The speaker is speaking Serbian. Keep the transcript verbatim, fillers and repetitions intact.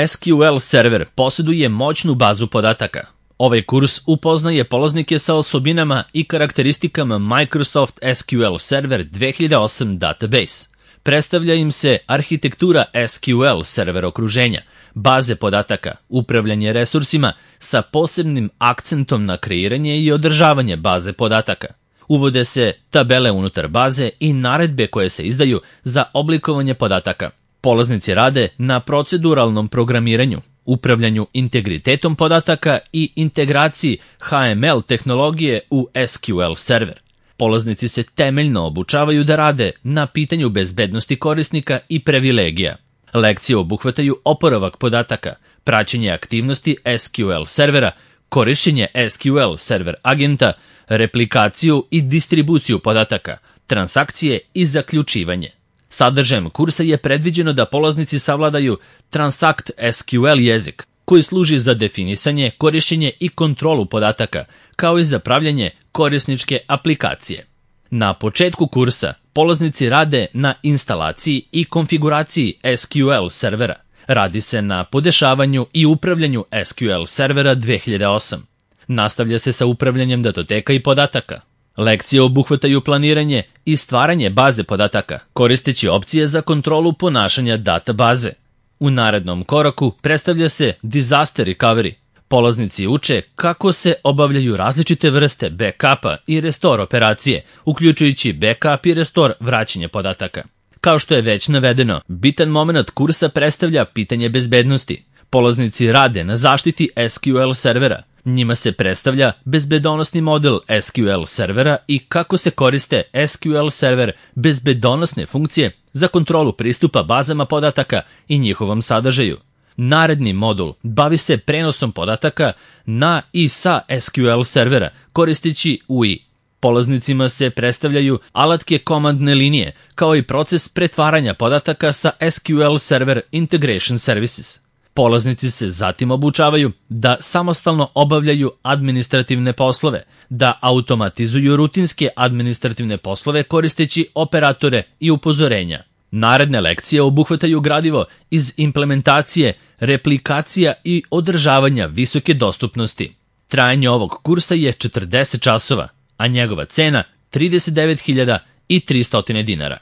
es kju el server posjeduje moćnu bazu podataka. Ovaj kurs upoznaje polaznike sa osobinama i karakteristikama Microsoft es kju el Server dve hiljade osam Database. Predstavlja im se arhitektura es kju el server okruženja, baze podataka, upravljanje resursima sa posebnim akcentom na kreiranje i održavanje baze podataka. Uvode se tabele unutar baze i naredbe koje se izdaju za oblikovanje podataka. Polaznici rade na proceduralnom programiranju, upravljanju integritetom podataka i integraciji ha em el tehnologije u es kju el server. Polaznici se temeljno obučavaju da rade na pitanju bezbednosti korisnika i privilegija. Lekcije obuhvataju oporavak podataka, praćenje aktivnosti es kju el servera, korišćenje es kju el server agenta, replikaciju i distribuciju podataka, transakcije i zaključivanje. Sadržajem kursa je predviđeno da polaznici savladaju Transact es kju el jezik, koji služi za definisanje, korišćenje i kontrolu podataka, kao i za pravljanje korisničke aplikacije. Na početku kursa polaznici rade na instalaciji i konfiguraciji es kju el servera. Radi se na podešavanju i upravljanju es kju el servera dve hiljade osam. Nastavlja se sa upravljanjem datoteka i podataka. Lekcije obuhvataju planiranje i stvaranje baze podataka, koristeći opcije za kontrolu ponašanja databaze. U narednom koraku predstavlja se disaster recovery. Polaznici uče kako se obavljaju različite vrste backupa i restore operacije, uključujući backup i restore vraćanje podataka. Kao što je već navedeno, bitan moment kursa predstavlja pitanje bezbednosti. Polaznici rade na zaštiti es kju el servera. Njima se predstavlja bezbedonosni model es kju el servera i kako se koriste es kju el server bezbedonosne funkcije za kontrolu pristupa bazama podataka i njihovom sadržaju. Naredni modul bavi se prenosom podataka na i sa es kju el servera koristeći u i. Polaznicima se predstavljaju alatke komandne linije, kao i proces pretvaranja podataka sa es kju el Server Integration Services. Polaznici se zatim obučavaju da samostalno obavljaju administrativne poslove, da automatizuju rutinske administrativne poslove koristeći operatore i upozorenja. Naredne lekcije obuhvataju gradivo iz implementacije, replikacija i održavanja visoke dostupnosti. Trajanje ovog kursa je četrdeset časova, a njegova cena trideset devet hiljada tristo dinara.